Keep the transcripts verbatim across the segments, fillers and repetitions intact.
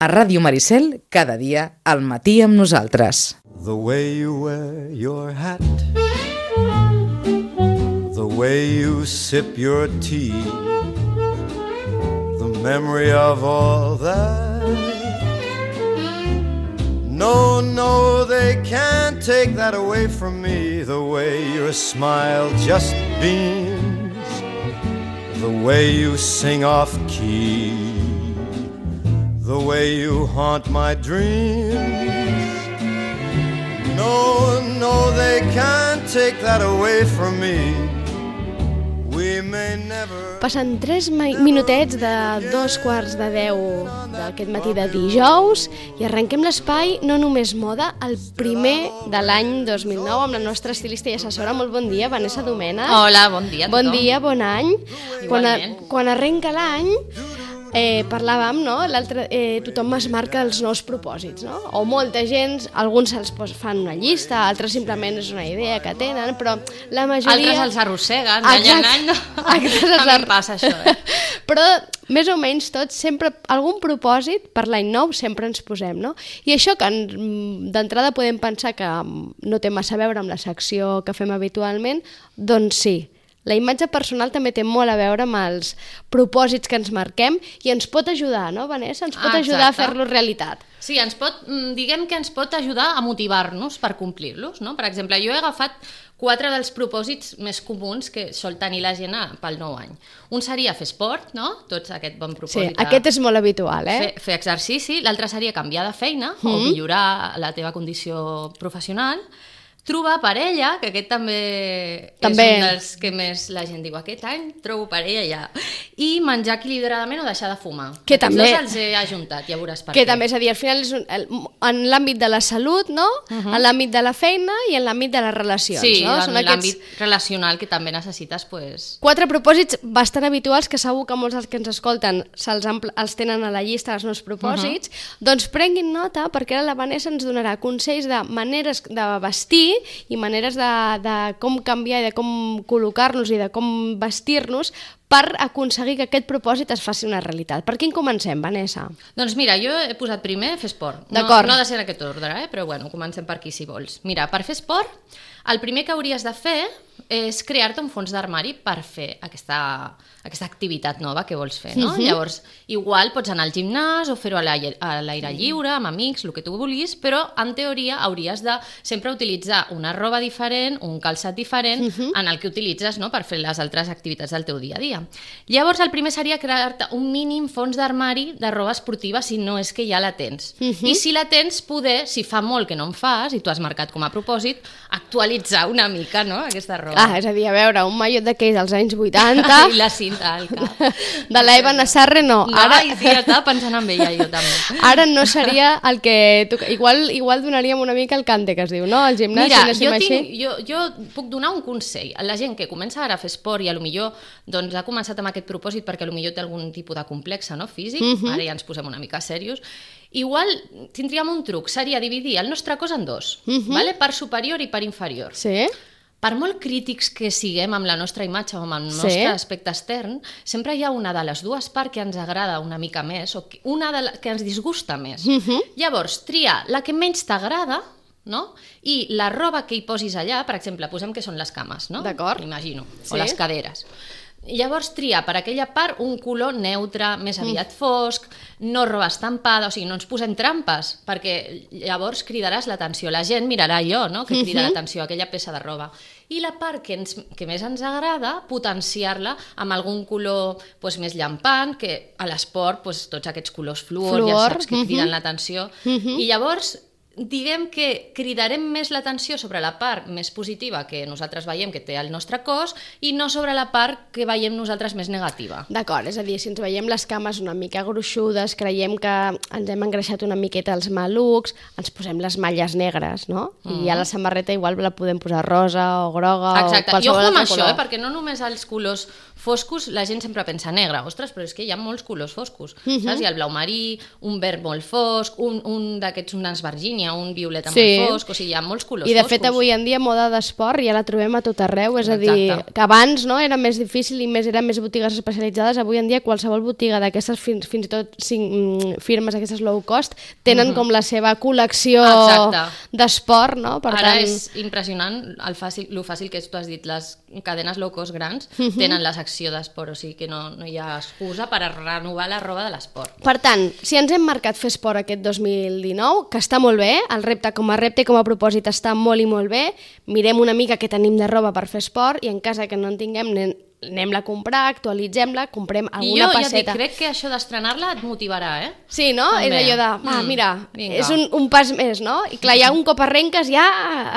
A Ràdio Maricel, cada dia, al matí amb nosaltres. The way you wear your hat, the way you sip your tea, the memory of all that. No, no, they can't take that away from me. The way your smile just beams, the way you sing off key, the way you haunt my dreams. No, no, they can't take that away from me. We may never... Passen tres minutets de dos quarts de deu d'aquest matí de dijous i arrenquem l'espai No Només Moda, el primer de l'any dos mil nou, amb la nostra estilista i assessora. Molt bon dia, Vanessa Domènech. Hola, bon dia a tothom. Bon dia, bon any. Igualment. Quan, quan arrenca l'any... Eh, parlàvem, no? L'altre, eh, tothom es marca els nous propòsits, no? O molta gent, alguns se'ls fan una llista, altres simplement és una idea que tenen, però la majoria... Altres els arrosseguen, d'any en any, no? A mi em passa això, eh? Però més o menys tots, sempre, algun propòsit per l'any nou sempre ens posem, no? I això que d'entrada podem pensar que no té massa a veure amb la secció que fem habitualment, doncs sí. La imatge personal també té molt a veure amb els propòsits que ens marquem i ens pot ajudar, no, Vanessa? Ens pot ah, ajudar a fer-los realitat. Sí, ens pot, diguem que ens pot ajudar a motivar-nos per complir-los, no? Per exemple, jo he agafat quatre dels propòsits més comuns que sol tenir la gent pel nou any. Un seria fer esport, no? Tots aquest bon propòsit. Sí, aquest és molt habitual, eh? Fer, fer exercici. L'altre seria canviar de feina mm. o millorar la teva condició professional. Trobar parella, que aquest també, també és un dels que més la gent diu aquest any, trobo parella ja. I menjar equilibradament o deixar de fumar. Que Aquests també... dos els he ajuntat, ja veuràs per que què. També, és a dir, al final és un, el, en l'àmbit de la salut, no? Uh-huh. En l'àmbit de la feina i en l'àmbit de les relacions, sí, no? Sí, Són en aquests... l'àmbit relacional que també necessites, pues... Quatre propòsits bastant habituals que segur que molts dels que ens escolten se'ls els tenen a la llista dels meus propòsits. Uh-huh. Doncs prenguin nota, perquè ara la Vanessa ens donarà consells de maneres de vestir i maneres de, de com canviar i de com col·locar-nos i de com vestir-nos per aconseguir que aquest propòsit es faci una realitat. Per quin comencem, Vanessa? Doncs mira, jo he posat primer fer esport. No, no ha de ser en aquest ordre, eh? Però bueno, comencem per aquí si vols. Mira, per fer esport, el primer que hauries de fer és crear-te un fons d'armari per fer aquesta, aquesta activitat nova que vols fer, no? Uh-huh. Llavors, igual pots anar al gimnàs o fer-ho a l'aire lliure, amb amics, el que tu vulguis, però en teoria hauries de sempre utilitzar una roba diferent, un calçat diferent, uh-huh. en el que utilitzes, no?, per fer les altres activitats del teu dia a dia. Llavors, el primer seria crear-te un mínim fons d'armari de roba esportiva si no és que ja la tens. Uh-huh. I si la tens, poder, si fa molt que no en fas i tu has marcat com a propòsit, actualitzar una mica, no?, aquesta roba. Ah, és a dir, a veure, un mallot d'aquells dels anys vuitanta... I la cinta al cap. De l'Eva Nassarre, no. No, ara... sí, estava pensant en ella, jo també. Ara no seria el que... Igual, igual donaríem una mica el cante, que es diu, no? El gimnàs, Mira, si jo, tinc, jo, jo puc donar un consell. A la gent que comença ara a fer esport i a lo millor doncs, ha començat amb aquest propòsit perquè a lo millor té algun tipus de complexe, no?, físic, uh-huh. Ara ja ens posem una mica serios. Igual tindríem un truc, seria dividir el nostre cos en dos, uh-huh. vale? Per superior i per inferior. Sí. Per molt crítics que siguem amb la nostra imatge o amb el nostre sí. aspecte extern, sempre hi ha una de les dues parts que ens agrada una mica més o una de la, que ens disgusta més. Uh-huh. Llavors, triar la que menys t'agrada, no? I la roba que hi posis allà, per exemple, posem que són les cames, no? D'acord. M'imagino, sí. o les caderes. Llavors triar per aquella part un color neutre, més aviat fosc, no roba estampada, o sigui, no ens posem trampes, perquè llavors cridaràs l'atenció. La gent mirarà allò, no?, que crida uh-huh. l'atenció, aquella peça de roba. I la part que, ens, que més ens agrada, potenciar-la amb algun color pues, més llampant, que a l'esport pues, tots aquests colors fluor, fluor ja saps que criden uh-huh. l'atenció. Uh-huh. I llavors... diguem que cridarem més l'atenció sobre la part més positiva que nosaltres veiem que té el nostre cos i no sobre la part que veiem nosaltres més negativa. D'acord, és a dir, si ens veiem les cames una mica gruixudes, creiem que ens hem engreixat una miqueta els malucs, ens posem les malles negres, no? Mm. I a la samarreta igual la podem posar rosa o groga. Exacte, o i ojo amb això, eh? Perquè no només els colors foscos, la gent sempre pensa negre, ostres, però és que hi ha molts colors foscos, uh-huh. saps? Hi ha el blau marí, un verd molt fosc, un, un d'aquests, una esvergínia, ha un violeta Sí. molt fosc, o sigui, hi ha molts colors I de foscos. fet avui en dia moda d'esport ja la trobem a tot arreu, és a dir, Exacte. que abans no, era més difícil i més eren més botigues especialitzades, avui en dia qualsevol botiga d'aquestes fins, fins i tot cinc, firmes, aquestes low cost, tenen mm -hmm. com la seva col·lecció Exacte. d'esport, no? Per Ara tant... és impressionant el fàcil, el fàcil que és, tu has dit, les cadenes low cost grans uh -huh. tenen la secció d'esport, o sigui que no, no hi ha excusa per a renovar la roba de l'esport. Per tant, si ens hem marcat fer esport aquest dos mil dinou, que està molt bé, el repte com a repte i com a propòsit està molt i molt bé, mirem una mica què tenim de roba per fer esport i en cas que no en tinguem, anem, anem-la a comprar, actualitzem-la, comprem alguna I jo passeta. ja et dic, crec que això d'estrenar-la et motivarà, eh? Sí, no? També. És allò de, va, Mm, mira, vinga. és un, un pas més, no? I clar, ja un cop arrenques ja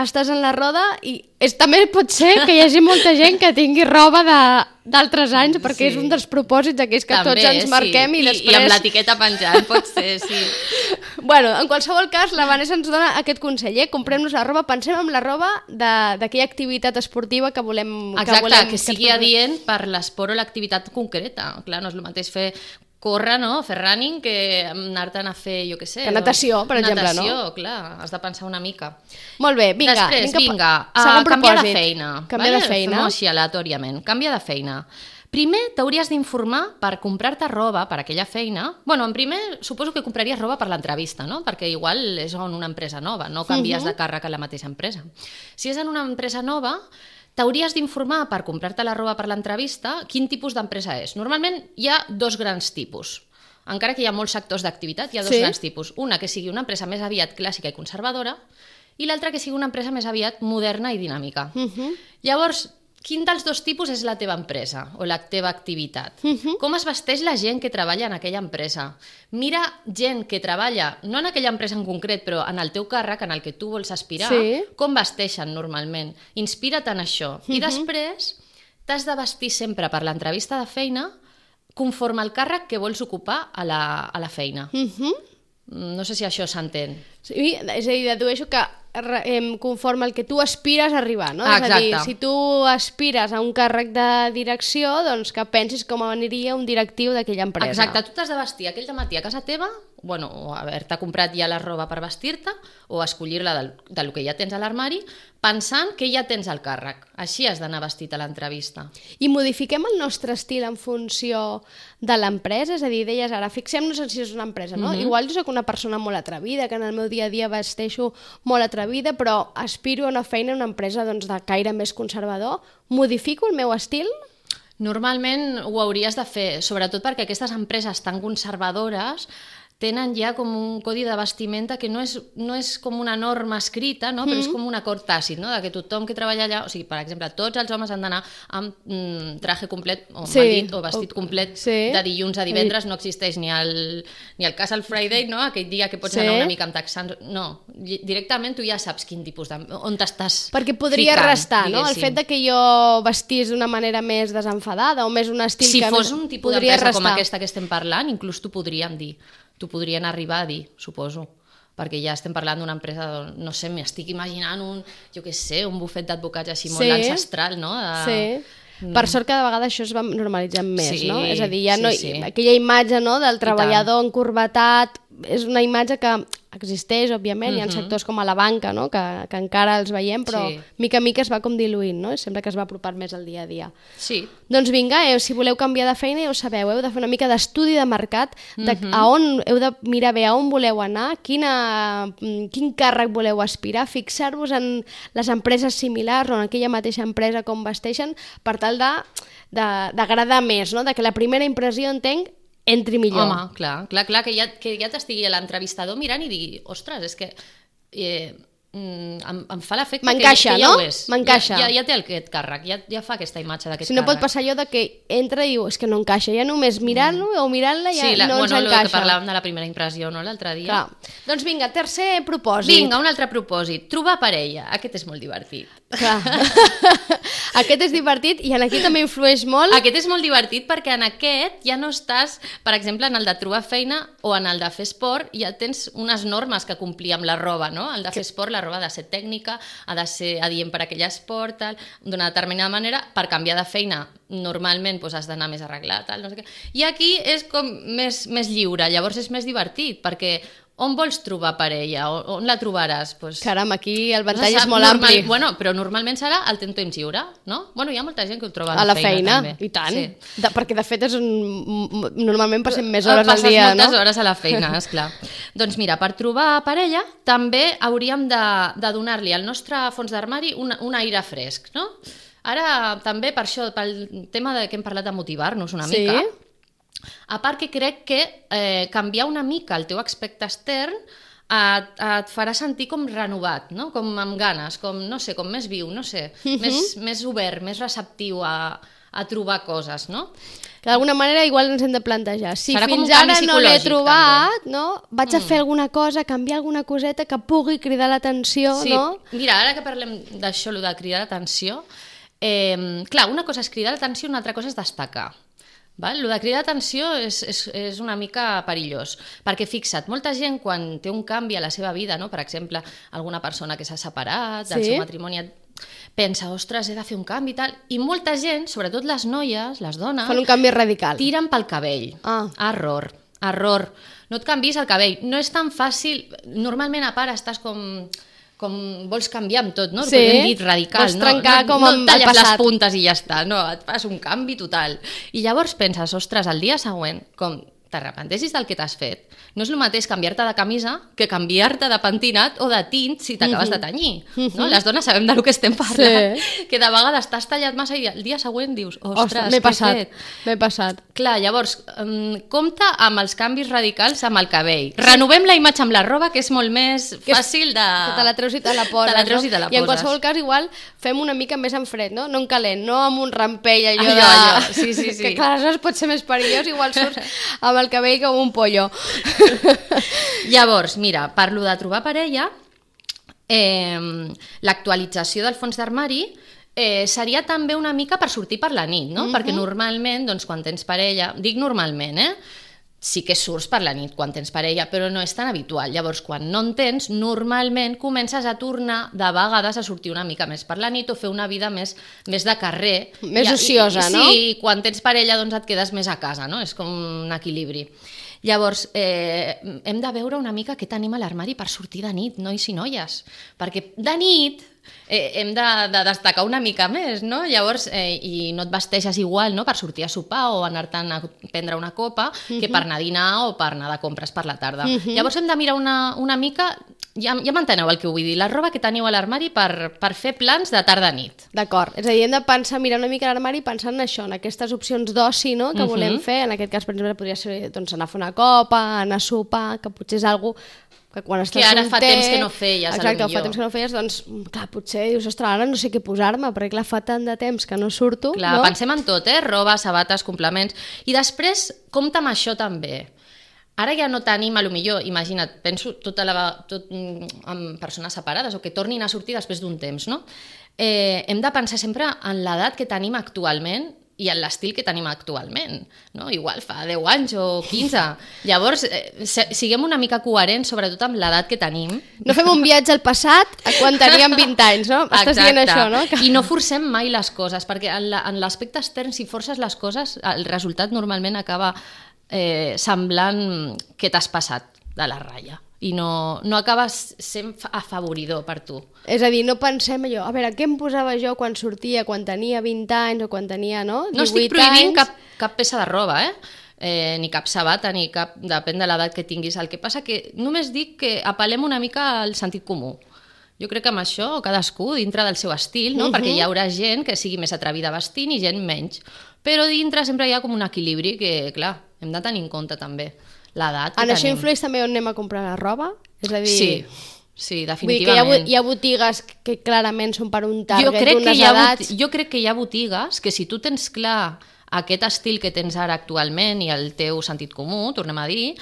estàs en la roda i és, també pot ser que hi hagi molta gent que tingui roba de d'altres anys, perquè Sí. és un dels propòsits aquells que També, tots ens marquem sí. i, I després... I amb l'etiqueta penjant, pot ser, sí. Bueno, en qualsevol cas, la Vanessa ens dona aquest consell, eh? Comprem-nos la roba, pensem en la roba de- d'aquella activitat esportiva que volem... Exacte, que, volem, que sigui ens- adient per l'esport o l'activitat concreta. Clar, no és el mateix fer córrer, no? Fer running, que anar-te'n a fer, jo què sé... Que natació, per exemple, no? Natació, clar, has de pensar una mica. Molt bé, vinga. Després, anem cap- vinga, segon a canviar de propòsit. feina. Canviar vale? de feina. Fem-ho així aleatòriament. Canvia de feina. Primer t'hauries d'informar per comprar-te roba per aquella feina. Bueno, en primer suposo que compraries roba per l'entrevista, no? Perquè igual és en una empresa nova, no canvies uh -huh. de càrrec a la mateixa empresa. Si és en una empresa nova, t'hauries d'informar per comprar-te la roba per l'entrevista quin tipus d'empresa és. Normalment hi ha dos grans tipus. Encara que hi ha molts sectors d'activitat, hi ha dos Sí. grans tipus. Una que sigui una empresa més aviat clàssica i conservadora i l'altra que sigui una empresa més aviat moderna i dinàmica. Uh -huh. Llavors, quin dels dos tipus és la teva empresa o la teva activitat? Uh -huh. Com es vesteix la gent que treballa en aquella empresa? Mira gent que treballa, no en aquella empresa en concret, però en el teu càrrec, en el que tu vols aspirar, Sí. com vesteixen normalment. Inspira't en això. Uh -huh. I després t'has de vestir sempre per l'entrevista de feina conforme al càrrec que vols ocupar a la, a la feina. Uh -huh. No sé si això s'entén. Sí, és a dir, dedueixo que eh, conforme al que tu aspires a arribar, no? Ah, és a dir, exacte. si tu aspires a un càrrec de direcció, doncs que pensis com aniria un directiu d'aquella empresa. Exacte, tu t'has de vestir aquell dematí a casa teva, bueno, o haver-te comprat ja la roba per vestir-te, o escollir-la del, del que ja tens a l'armari, pensant que ja tens el càrrec. Així has d'anar vestit a l'entrevista. I modifiquem el nostre estil en funció de l'empresa? És a dir, deies ara, fixem-nos en si és una empresa, no? Mhm. Igual jo soc una persona molt atrevida, que en el meu dia a dia vesteixo molt atrevida, però aspiro a una feina en una empresa doncs, de caire més conservador. Modifico el meu estil? Normalment ho hauries de fer, sobretot perquè aquestes empreses tan conservadores tenen ja com un codi de vestimenta que no és, no és com una norma escrita, no? Però és com un acord tàcit, no? De que tothom que treballa allà, o sigui, per exemple, tots els homes han d'anar amb mm, traje complet, o Sí, mal dit, o vestit o- complet sí. de dilluns a divendres, no existeix ni el, ni el Casual Friday, no? Aquell dia que pots Sí. anar una mica amb texans, no, Di- directament tu ja saps quin tipus de... on t'estàs Perquè podria ficant, restar, no? El diguéssim. fet de que jo vestís d'una manera més desenfadada o més un estil Si que fos un tipus podria d'empresa com restar. aquesta que estem parlant, inclús t'ho podrien dir. T'ho podrien arribar a dir, suposo. Perquè ja estem parlant d'una empresa, de, no sé, m'estic imaginant un, jo què sé, un bufet d'advocats així molt Sí. ancestral, no? De... Sí. Per sort cada vegada això es va normalitzant més, Sí, no? És a dir, ja sí, no, sí. aquella imatge no, del treballador encorbatat és una imatge que existeix, òbviament, hi ha Mhm. sectors com a la banca, no? que, que encara els veiem, però Sí. mica en mica es va com diluint, no? Sembla que es va apropar més al dia a dia. Sí. Doncs vinga, eh, si voleu canviar de feina ja ho sabeu, heu de fer una mica d'estudi de mercat, de Mhm. a on heu de mirar bé a on voleu anar, quina, mm, quin càrrec voleu aspirar, fixar-vos en les empreses similars o en aquella mateixa empresa com vesteixen, per tal de de- d'agradar més, no? De que la primera impressió, entenc, entri millor. Home, clar, clar, clar que ja, que ja t'estigui l'entrevistador mirant i digui, ostres, és que eh, mm, em, em fa l'efecte que, M'encaixa, que ja no? ho és. M'encaixa. Ja, ja, ja té aquest càrrec, ja, ja fa aquesta imatge d'aquest Si no pot càrrec. passar allò de que entra i diu, és que no encaixa, ja només mirant-lo o mirant-la ja Sí, la, no bueno, ens el que encaixa. parlàvem de la primera impressió, no?, l'altre dia. Clar. Doncs vinga, tercer propòsit. Vinga, un altre propòsit. Trobar parella. Aquest és molt divertit. Clar. Aquest és divertit i en aquí també influeix molt. Aquest és molt divertit perquè en aquest ja no estàs, per exemple, en el de trobar feina o en el de fer esport, ja tens unes normes que complir amb la roba, no? El de fer esport, la roba ha de ser tècnica, ha de ser adient per a aquell esport, tal, d'una determinada manera. Per canviar de feina normalment doncs, has d'anar més arreglat, tal, no sé què. I aquí és com més, més lliure, llavors és més divertit, perquè on vols trobar parella? On, on la trobaràs? Pues... Caram, aquí el ventall Sap, és molt normal, ampli. Bueno, però normalment serà el temps temps lliure, no? Bueno, hi ha molta gent que ho troba a A la, la feina, feina i tant. Sí. De, perquè de fet és un... normalment passem més hores al Passes dia, no? moltes hores a la feina, esclar. Doncs mira, per trobar parella també hauríem de, de donar-li al nostre fons d'armari un, un aire fresc, no? Ara també per això, pel tema de que hem parlat de motivar-nos una Sí? mica, a part que crec que eh, canviar una mica el teu aspecte extern et, et farà sentir com renovat, no? Com amb ganes, com, no sé, com més viu, no sé, Mhm. més, més obert, més receptiu a, a trobar coses, no? Que d'alguna manera igual ens hem de plantejar. Si Serà com fins un canvi ara no l'he psicològic, trobat, no? Vaig a fer alguna cosa, canviar alguna coseta que pugui cridar l'atenció, Sí, no? mira, ara que parlem d'això, lo de cridar l'atenció, eh, clar, una cosa és cridar l'atenció, una altra cosa és destacar. Val? Lo de cridar l'atenció és, és, és una mica perillós, perquè fixa't, molta gent quan té un canvi a la seva vida, no? Per exemple, alguna persona que s'ha separat del Sí. seu matrimoni, pensa, ostres, he de fer un canvi i tal, i molta gent, sobretot les noies, les dones, Fan un canvi radical. tiren pel cabell. Ah. Error, error. No et canvis el cabell. No és tan fàcil. Normalment, a part, estàs com... com vols canviar amb tot, no? Sí. Hem dit radical, Vols no? trencar no, com no amb et talles el passat. les puntes i ja està, no, et fas un canvi total. I llavors penses, ostres, el dia següent, com t'arrepentessis del que t'has fet, no és el mateix canviar-te de camisa que canviar-te de pentinat o de tint si t'acabes de tenyir. No? Les dones sabem del que estem parlant. Sí. Que de vegades t'has tallat massa i el dia següent dius, ostres, Ostres, m'he què he passat, fet? m'he passat. Clar, llavors, um, compta amb els canvis radicals amb el cabell. Renovem la imatge amb la roba, que és molt més Que és- fàcil de... Que te la treus i te la poses, Te la treus no? i te la I en poses. qualsevol cas igual fem una mica més en fred, no? No en calent, no amb un rampell allò, Allò, de... allò, sí, sí, sí. Que clar, aleshores pot ser més perillós, igual surts amb el cabell com un pollo. Llavors, mira, parlo de trobar parella, eh, l'actualització del fons d'armari eh, seria també una mica per sortir per la nit, no? Mhm. Perquè normalment, doncs, quan tens parella, dic normalment, eh? Sí que surts per la nit quan tens parella, però no és tan habitual. Llavors, quan no en tens, normalment comences a tornar de vegades a sortir una mica més per la nit o fer una vida més, més de carrer. Més I- ociosa, i, no? Sí, i quan tens parella doncs et quedes més a casa, no? És com un equilibri. Llavors, eh, hem de veure una mica què tenim a l'armari per sortir de nit, nois i noies. Perquè de nit eh, hem de, de destacar una mica més, no? Llavors, eh, i no et vesteixes igual, no?, per sortir a sopar o anar-te'n a prendre una copa, uh-huh. que per anar a dinar o per anar de compres per la tarda. Uh-huh. Llavors hem de mirar una, una mica... Ja, ja m'enteneu el que vull dir, la roba que teniu a l'armari per, per fer plans de tarda-nit. D'acord, és a dir, hem de pensar, mirar una mica a l'armari pensant en això, en aquestes opcions d'oci, no?, que Mhm. volem fer. En aquest cas, per exemple, podria ser doncs, anar a fer una copa, anar a sopar, que potser és algo que quan estàs Que ara fa solter... temps que no feies, a lo Exacte, fa millor. temps que no feies, doncs, clar, potser dius, ostres, ara no sé què posar-me, perquè clar, fa tant de temps que no surto, Clar, no? pensem en tot, eh? Roba, sabates, complements... I després, compta amb això també. Ara ja no tenim, a lo millor, imagina't, penso tota la, tot, mm, amb persones separades o que tornin a sortir després d'un temps, no? Eh, hem de pensar sempre en l'edat que tenim actualment i en l'estil que tenim actualment, no? Igual fa deu anys o quinze. Llavors, eh, se- siguem una mica coherents, sobretot amb l'edat que tenim. No fem un viatge al passat a quan teníem vint anys, no? Estàs dient això, no? Que... I no forcem mai les coses, perquè en la- en l'aspecte extern, si forces les coses, el resultat normalment acaba eh, semblant que t'has passat de la ratlla i no, no acabes sent afavoridor per tu. És a dir, no pensem allò, a veure, què em posava jo quan sortia, quan tenia vint anys o quan tenia, no, No estic divuit prohibint anys? cap, cap peça de roba, eh? Eh, ni cap sabata, ni cap... Depèn de l'edat que tinguis. El que passa que només dic que apel·lem una mica al sentit comú. Jo crec que amb això cadascú dintre del seu estil, no? Mhm. Perquè hi haurà gent que sigui més atrevida vestint i gent menys. Però dintre sempre hi ha com un equilibri que, clar, hem de tenir en compte també l'edat que En això tenim. influeix també on anem a comprar la roba? És a dir... Sí, sí, Vull dir que hi ha, definitivament. bo- hi ha botigues que clarament són per un jo, target crec que d'unes hi ha, edats... bot- jo crec que hi ha botigues que si tu tens clar aquest estil que tens ara actualment i el teu sentit comú, tornem a dir,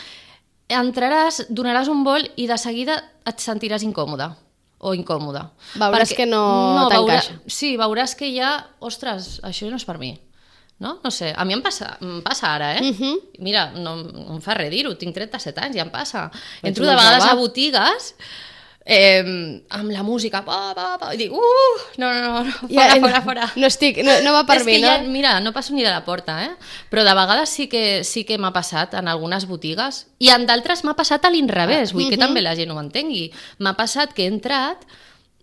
entraràs, donaràs un vol i de seguida et sentiràs incòmode o incòmode. Veuràs que no t'encaixa. Sí, veuràs que ja, ostres, això no és per mi. No? No sé, a mi em passa, em passa ara, eh? Mhm. Mira, no, no em fa res dir-ho, tinc trenta-set anys, ja em passa. Ets Entro una de vegades jove. a botigues eh, amb la música, pa, pa, pa, i dic, uh, no, no, no, no fora, ja, fora, fora. No, estic, no, no va per és mi, que no? Ja, mira, no passo ni de la porta, eh? Però de vegades sí que, sí que m'ha passat en algunes botigues, i en d'altres m'ha passat a l'inrevés, vull uh -huh. que també la gent ho entengui. M'ha passat que he entrat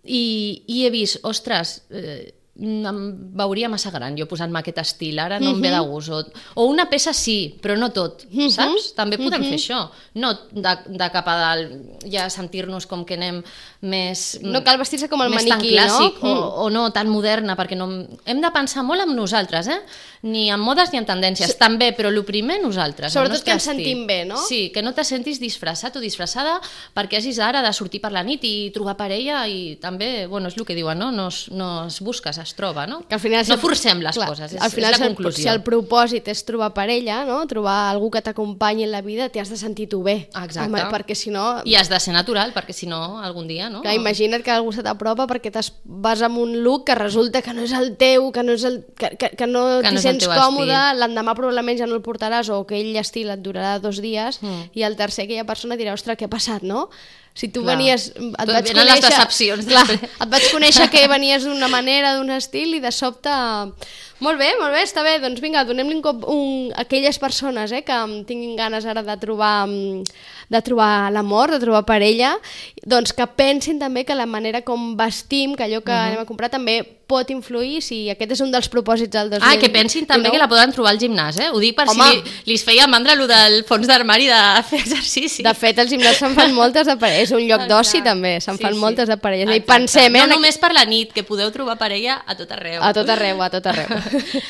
i, i he vist, ostres, eh, em veuria massa gran jo posant-me aquest estil, ara no uh -huh. em ve de gust, o, o una peça sí, però no tot, uh -huh. saps? També podem uh -huh. fer això, no de, de cap a dalt ja sentir-nos com que anem més... No cal vestir-se com el maniquí, tan clàssic, no? O, o no tan moderna, perquè no... hem de pensar molt en nosaltres, eh? Ni en modes ni en tendències, sí. també, però el primer nosaltres. Sobretot que ens sentim bé, no? Sí, que no te sentis disfressat o disfressada perquè hagis ara de sortir per la nit i trobar parella, i també, bueno, és el que diuen, no? No es, no es busques, es troba, no? Que al final, no forcem les clar, coses, és, al final, és la conclusió. Si el propòsit és trobar parella, no? Trobar algú que t'acompanyi en la vida, t'has de sentir tu bé. Exacte. Home, perquè si no... I has de ser natural, perquè si no, algun dia, no? Que imagina't que algú se t'apropa perquè vas amb un look que resulta que no és el teu, que no, és el, que, que, que no t'hi no sents còmode, l'endemà probablement ja no el portaràs, o aquell estil et durarà dos dies, mm. i el tercer aquella persona dirà, ostres, què ha passat, no? Si tu clar. venies... Et vaig conèixer, les decepcions. Clar, et vaig conèixer que venies d'una manera, d'un estil, i de sobte... Molt bé, molt bé, està bé. Doncs vinga, donem-li un cop un, a aquelles persones eh, que tinguin ganes ara de trobar, de trobar l'amor, de trobar parella, doncs que pensin també que la manera com vestim, que allò que uh-huh. anem a comprar també pot influir, si aquest és un dels propòsits del dos mil dinou. Ah, que pensin també que la poden trobar al gimnàs, eh? Ho dic per Home. si li, li es feia mandra allò del fons d'armari de fer exercici. De fet, als gimnàs se'n fan moltes de parelles, és un lloc d'oci també, se'n sí, fan sí. moltes de parelles. I pensem, eh? No només per la nit, que podeu trobar parella a tot arreu. A tot arreu, a tot arreu.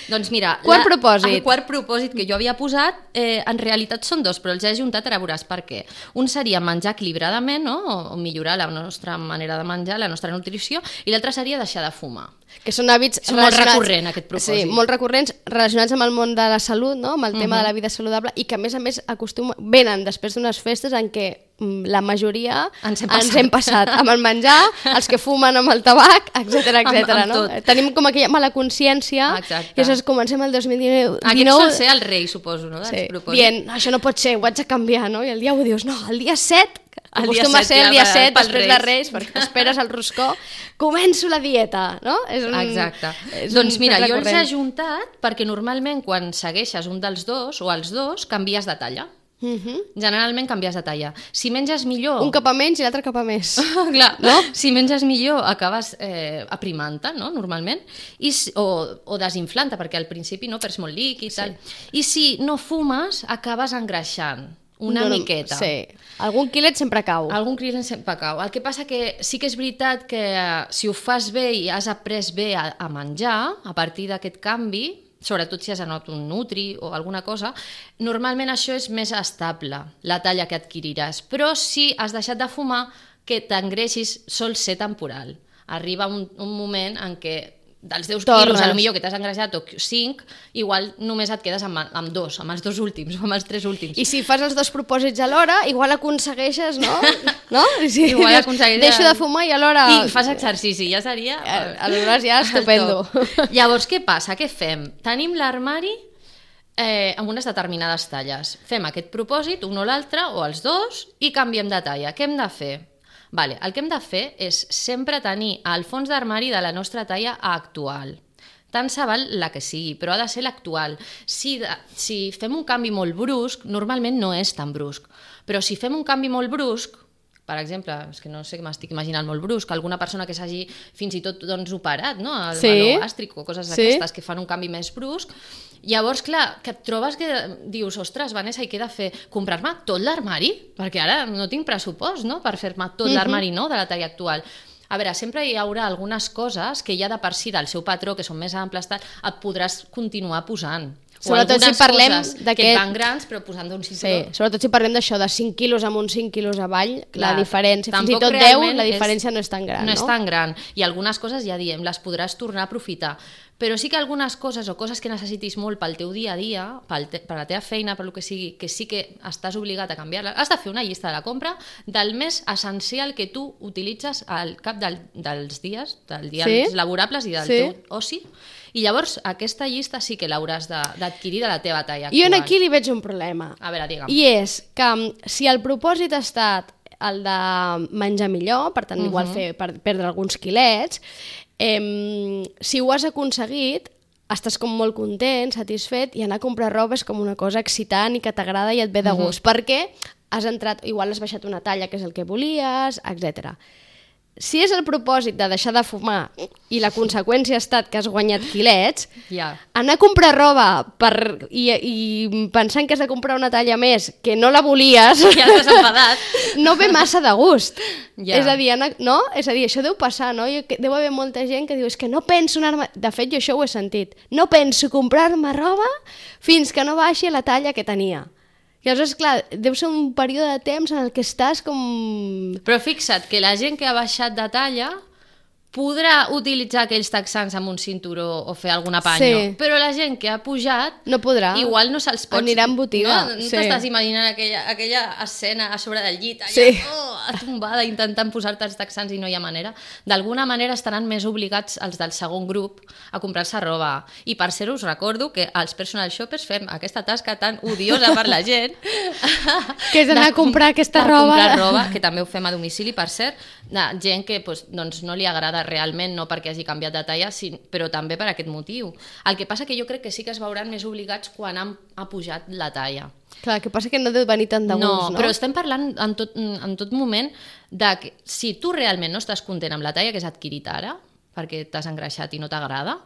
Doncs mira, quart la, propòsit. el quart propòsit que jo havia posat, eh, en realitat són dos, però els he ajuntat, ara veuràs per què. Un seria menjar equilibradament, no? o, o millorar la nostra manera de menjar, la nostra nutrició, i l'altre seria deixar de fumar. Que són hàbits és molt recurrent, aquest propòsit. Sí, molt recurrents, relacionats amb el món de la salut, no? Amb el tema uh-huh. de la vida saludable, i que a més a més acostuma, venen després d'unes festes en què la majoria ens hem passat, ens hem passat amb el menjar, els que fumen amb el tabac, etcètera, etcètera. No? Tenim com aquella mala consciència. Exacte. I això comencem el dos mil dinou. Aquest sol ser el rei, suposo, no? Sí, dient, això no pot ser, ho haig de canviar, no? I el dia ho dius, no, el dia set, que acostuma a ser el dia set, després de Reis, perquè t'esperes al roscó, començo la dieta, no? És un, Exacte. És doncs un mira, jo els he ajuntat perquè normalment quan segueixes un dels dos o els dos, canvies de talla. Uh-huh. Generalment canvies de talla. Si menges millor... Un cap a menys i l'altre cap a més. Clar, no? Si menges millor acabes eh, aprimant-te, no? Normalment, I, o, o desinflant-te, perquè al principi no perds molt líquid i tal. Sí. I si no fumes, acabes engreixant una no, miqueta. Sí. Algun quilet sempre cau. Algun quilet sempre cau. El que passa que sí que és veritat que si ho fas bé i has après bé a, a menjar, a partir d'aquest canvi, sobretot si has anat un nutri o alguna cosa, normalment això és més estable, la talla que adquiriràs. Però si has deixat de fumar, que t'engreixis sol ser temporal. Arriba un, un moment en què dels deu quilos, potser que t'has engreixat, o cinc, igual només et quedes amb, amb dos, amb els dos últims, o amb els tres últims. I si fas els dos propòsits alhora, igual aconsegueixes, no? no? Si igual aconsegueixes... Deixo de fumar i alhora... I fas exercici, ja seria... Aleshores ja estupendo. Llavors, què passa? Què fem? Tenim l'armari eh, amb unes determinades talles. Fem aquest propòsit, un o l'altre, o els dos, i canviem de talla. Què hem de fer? Vale, el que hem de fer és sempre tenir el fons d'armari de la nostra talla actual. Tant se val la que sigui, però ha de ser l'actual. Si, de, si fem un canvi molt brusc, normalment no és tan brusc, però si fem un canvi molt brusc, per exemple, és que no sé què m'estic imaginant molt brusc, alguna persona que s'hagi fins i tot doncs, operat, no? El sí. meló gàstric o coses sí. d'aquestes que fan un canvi més brusc, llavors, clar, que et trobes que dius, ostres, Vanessa, i què he de fer? Comprar-me tot l'armari? Perquè ara no tinc pressupost, no?, per fer-me tot uh-huh. l'armari nou de la talla actual. A veure, sempre hi haurà algunes coses que ja de per si del seu patró, que són més amples, tal, et podràs continuar posant. O sobretot si parlem que et van grans, però posant d'un cinturó. Sí, sobretot si parlem d'això, de cinc quilos amb uns cinc quilos avall, clar, la diferència, fins i tot deu, la diferència és, no és tan gran, no? No és tan gran. I algunes coses, ja diem, les podràs tornar a aprofitar. Però sí que algunes coses o coses que necessitis molt pel teu dia a dia, pel te, per la teva feina, per lo que sigui, que sí que estàs obligat a canviar-la, has de fer una llista de la compra del més essencial que tu utilitzes al cap del, dels dies, dels dies sí? laborables i del sí? teu oci. I llavors aquesta llista sí que l'hauràs d'adquirir de la teva talla actual. Jo aquí li veig un problema. A veure, digue'm. I és que si el propòsit ha estat el de menjar millor, per tant, uh-huh. igual fer, per perdre alguns quilets. Eh, si ho has aconseguit, estàs com molt content, satisfet, i anar a comprar roba és com una cosa excitant i que t'agrada i et ve de gust, uh-huh. perquè has entrat, igual has baixat una talla que és el que volies, etcètera. Si és el propòsit de deixar de fumar i la conseqüència ha estat que has guanyat quilets, yeah. anar a comprar roba per, i, i pensant que has de comprar una talla més que no la volies, ja t'has enfadat, no ve massa de gust. Yeah. És a dir, anar, no? És a dir, això deu passar, no? Jo, deu haver molta gent que diu, és que no penso anar-me... De fet, jo això ho he sentit. No penso comprar-me roba fins que no baixi la talla que tenia. I llavors, clar, deu ser un període de temps en el que estàs com... Però fixa't que la gent que ha baixat de talla podrà utilitzar aquells texans amb un cinturó o fer algun apanyo, sí. però la gent que ha pujat no podrà. Igual no se'ls pots... Anirà en botiga. No, no sí. t'estàs imaginant aquella, aquella escena a sobre del llit, allà, sí. oh, tombada, intentant posar-te els texans i no hi ha manera. D'alguna manera estaran més obligats els del segon grup a comprar-se roba. I per ser us recordo que els personal shoppers fem aquesta tasca tan odiosa per la gent que és anar a comprar aquesta roba. Comprar roba, que també ho fem a domicili, per cert, de gent que pues, doncs, no li agrada realment, no perquè hagi canviat de talla, sí, però també per aquest motiu. El que passa que jo crec que sí que es veuran més obligats quan han, ha pujat la talla. Clar, el que passa que no deu venir tant de gust, no? No, però estem parlant en tot, en tot moment de que si tu realment no estàs content amb la talla que has adquirit ara, perquè t'has engreixat i no t'agrada,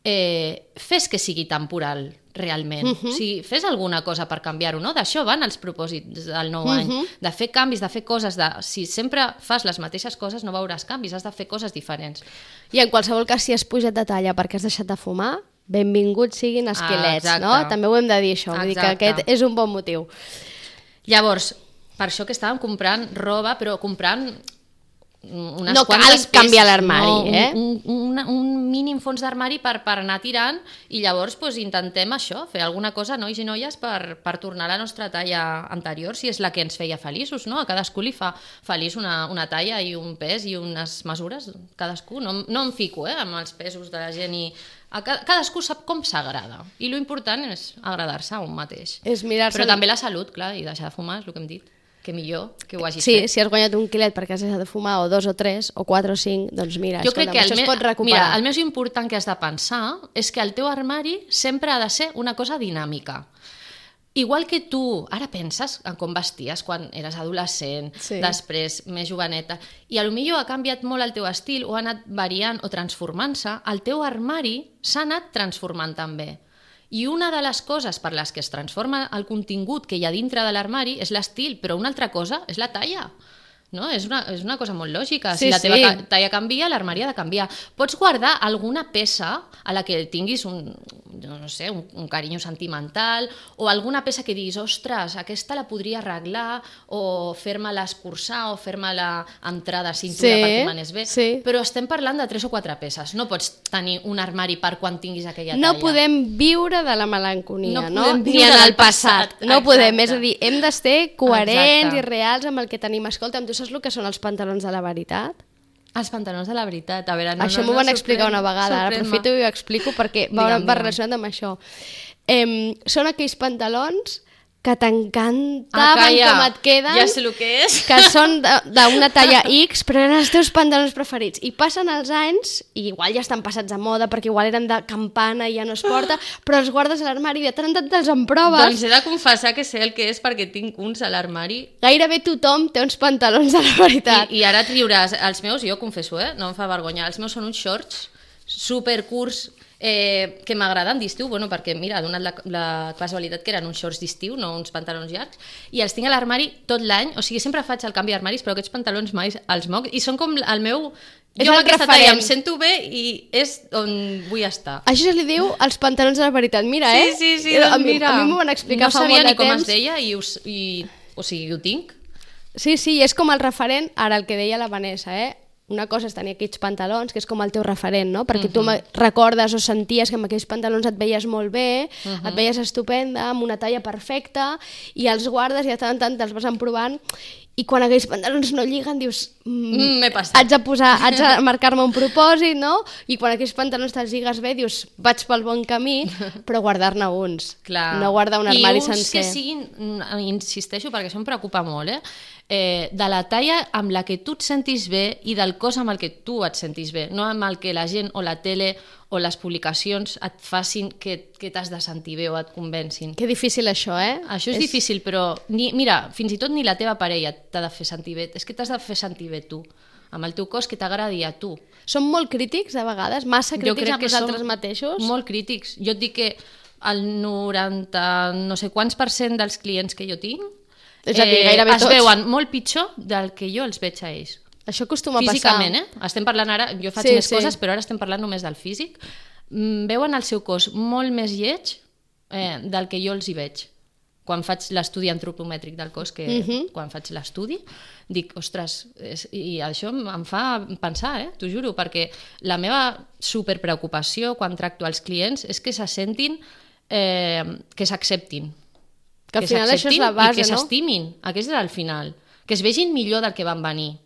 eh, fes que sigui temporal, realment. Uh-huh. O sigui, fes alguna cosa per canviar-ho, no? D'això van els propòsits del nou uh-huh. any, de fer canvis, de fer coses, de... si sempre fas les mateixes coses no veuràs canvis, has de fer coses diferents. I en qualsevol cas, si has pujat de talla perquè has deixat de fumar, benvinguts siguin els quilets, ah, no? També ho hem de dir, això, vull dir que aquest és un bon motiu. Llavors, per això que estàvem comprant roba, però comprant unes no cal peces, canviar l'armari, no, eh? Un, un, un mínim fons d'armari per, per anar tirant i llavors pues, intentem això, fer alguna cosa, nois i noies, per, per tornar a la nostra talla anterior, si és la que ens feia feliços, no? A cadascú li fa feliç una, una talla i un pes i unes mesures, cadascú. No, no em fico eh, amb els pesos de la gent i... A cadascú sap com s'agrada i l'important és agradar-se a un mateix. És mirar-se... Però també la salut, clar, i deixar de fumar és el que hem dit. Que millor que ho hagis sí, fet. Sí, si has guanyat un quilet perquè has deixat de fumar, o dos o tres, o quatre o cinc, doncs mira, jo escolta, crec que això el es pot recuperar. Mira, el més important que has de pensar és que el teu armari sempre ha de ser una cosa dinàmica. Igual que tu ara penses en com vesties quan eres adolescent, sí. Després més joveneta, i potser ha canviat molt el teu estil o ha anat variant o transformant-se, el teu armari s'ha anat transformant també. I una de les coses per les que es transforma el contingut que hi ha dintre de l'armari és l'estil, però una altra cosa és la talla. No? És, una, és una cosa molt lògica. Sí, si la teva sí. talla canvia, l'armari ha de canviar. Pots guardar alguna peça a la que tinguis un, no sé, un, un carinyo sentimental o alguna peça que diguis, ostres, aquesta la podria arreglar o fer-me-la escurçar o fer-me-la entrar de cintura sí, perquè m'anés bé. Sí. Però estem parlant de tres o quatre peces. No pots tenir un armari per quan tinguis aquella talla. No podem viure de la melanconia, no? no? Ni en el passat. passat. No Exacte. podem. És a dir, hem de ser coherents Exacte. i reals amb el que tenim. Escolta, amb tu saps el que són els pantalons de la veritat? Els pantalons de la veritat, a veure... No, això no, m'ho no, van explicar una vegada, ara aprofito i ho explico perquè va, va relacionat amb això. Eh, són aquells pantalons que t'encantaven ah, ja. com et queden, ja sé el que és, que són d'una talla X, però eren els teus pantalons preferits. I passen els anys, i igual ja estan passats a moda, perquè igual eren de campana i ja no es porta, però els guardes a l'armari i de tant en tant te'ls emproves. Doncs he de confessar que sé el que és perquè tinc uns a l'armari. Gairebé tothom té uns pantalons de la veritat. I, i ara et riuràs. Els meus, jo confesso, eh, no em fa vergonya, els meus són uns shorts supercurts, Eh, que m'agraden d'estiu, bueno, perquè mira, ha donat la, la casualitat que eren uns shorts d'estiu, no uns pantalons llargs, i els tinc a l'armari tot l'any, o sigui, sempre faig el canvi d'armaris, però aquests pantalons mai els moc, i són com el meu... És jo amb aquesta referent. talla em sento bé i és on vull estar. Això se li diu els pantalons de la veritat, mira, sí, eh? Sí, sí, doncs a mi, mira. A mi m'ho van explicar no fa molt de temps. No sabia ni com es deia i, us, i o sigui, ho tinc. Sí, sí, és com el referent, ara el que deia la Vanessa, eh? Una cosa és tenir aquells pantalons, que és com el teu referent, no? Perquè uh-huh. tu recordes o senties que amb aquells pantalons et veies molt bé, uh-huh. et veies estupenda, amb una talla perfecta, i els guardes i de tant en tant te'ls vas emprovant, i quan aquells pantalons no lliguen dius mm, m'he passat. haig de posar, haig de marcar-me un propòsit, no? I quan aquells pantalons te'ls lligues bé dius vaig pel bon camí, però guardar-ne uns. Clar. No guardar un armari sencer. I uns que siguin, insisteixo, perquè això em preocupa molt, eh? eh, de la talla amb la que tu et sentis bé i del cos amb el que tu et sentis bé, no amb el que la gent o la tele o les publicacions et facin que, que t'has de sentir bé o et convencin. Que difícil això, eh? Això és, és... difícil, però ni, mira, fins i tot ni la teva parella t'ha de fer sentir bé, és que t'has de fer sentir bé tu, amb el teu cos que t'agradi a tu. Som molt crítics a vegades, massa crítics amb nosaltres mateixos? Molt crítics. Jo et dic que el noranta no sé quants per cent dels clients que jo tinc és a dir, gairebé es tots. veuen molt pitjor del que jo els veig a ells. Això acostuma a Físicament, passar. eh? Estem parlant ara, jo faig sí, més sí. coses, però ara estem parlant només del físic. Mm, veuen el seu cos molt més lleig eh, del que jo els hi veig. Quan faig l'estudi antropomètric del cos, que Uh-huh. quan faig l'estudi, dic, ostres, és, i això em fa pensar, eh? T'ho juro, perquè la meva superpreocupació quan tracto als clients és que se sentin, eh, que s'acceptin. Que al final això és la base, i que no? s'estimin, aquest és el final, que es vegin millor del que van venir.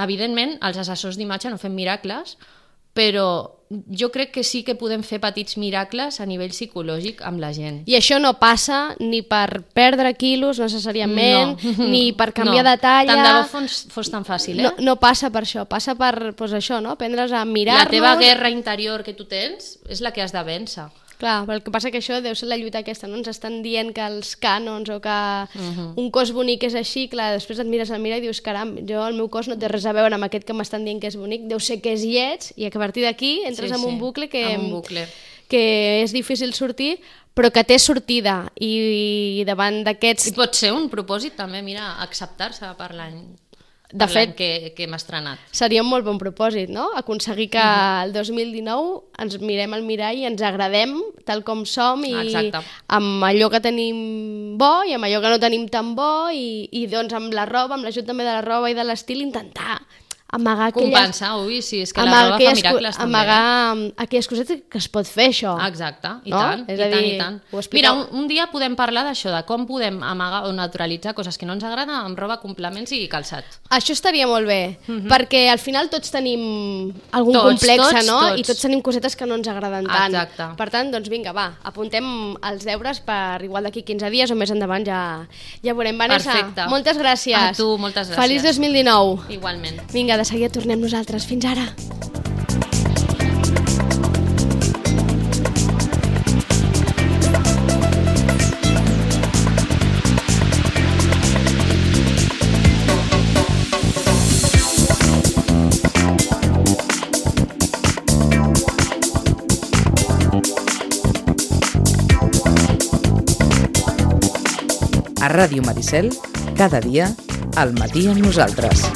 Evidentment, els assessors d'imatge no fem miracles, però jo crec que sí que podem fer petits miracles a nivell psicològic amb la gent. I això no passa ni per perdre quilos necessàriament, no. ni per canviar no. de talla. Tant de bo fos, fos tan fàcil, eh? No, no passa per això, passa per pues, això, no? Aprendre's a mirar-nos. La teva guerra interior que tu tens és la que has de vèncer. Clar, però el que passa que això deu ser la lluita aquesta, no? Ens estan dient que els cànons o que Uh-huh. un cos bonic és així, clar, després et mires al mirar i dius, caram, jo el meu cos no té res a veure amb aquest que m'estan dient que és bonic, deu ser que és lleig, i a partir d'aquí entres Sí, en un sí, bucle que, en un bucle. que és difícil sortir, però que té sortida, i davant d'aquests... I pot ser un propòsit també, mira, acceptar-se per l'any De per fet, l'any que, que hem estrenat. seria un molt bon propòsit, no? Aconseguir que el dos mil dinou ens mirem al mirall i ens agradem tal com som i Exacte. amb allò que tenim bo i amb allò que no tenim tan bo i, i doncs amb la roba, amb l'ajut també de la roba i de l'estil, intentar amagar aquelles... Compensar, ui, sí, és que la amagar roba fa aquelles miracles co- també. amagar aquelles cosetes que es pot fer, això. Exacte, i No? tant, És i a tant, dir, i tant. ho expliqueu- Mira, un, un dia podem parlar d'això, de com podem amagar o neutralitzar coses que no ens agraden amb roba, complements i calçat. Això estaria molt bé, perquè al final tots tenim algun Tots, complex, tots, no? tots. I tots tenim cosetes que no ens agraden tant. Exacte. Per tant, doncs vinga, va, apuntem els deures per igual d'aquí quinze dies o més endavant ja, ja veurem. Vanessa, Perfecte. moltes gràcies. A tu, moltes gràcies. Feliç dos mil dinou. Igualment. Vinga, de seguida tornem nosaltres. Fins ara. A Ràdio Maricel, cada dia, al matí amb nosaltres.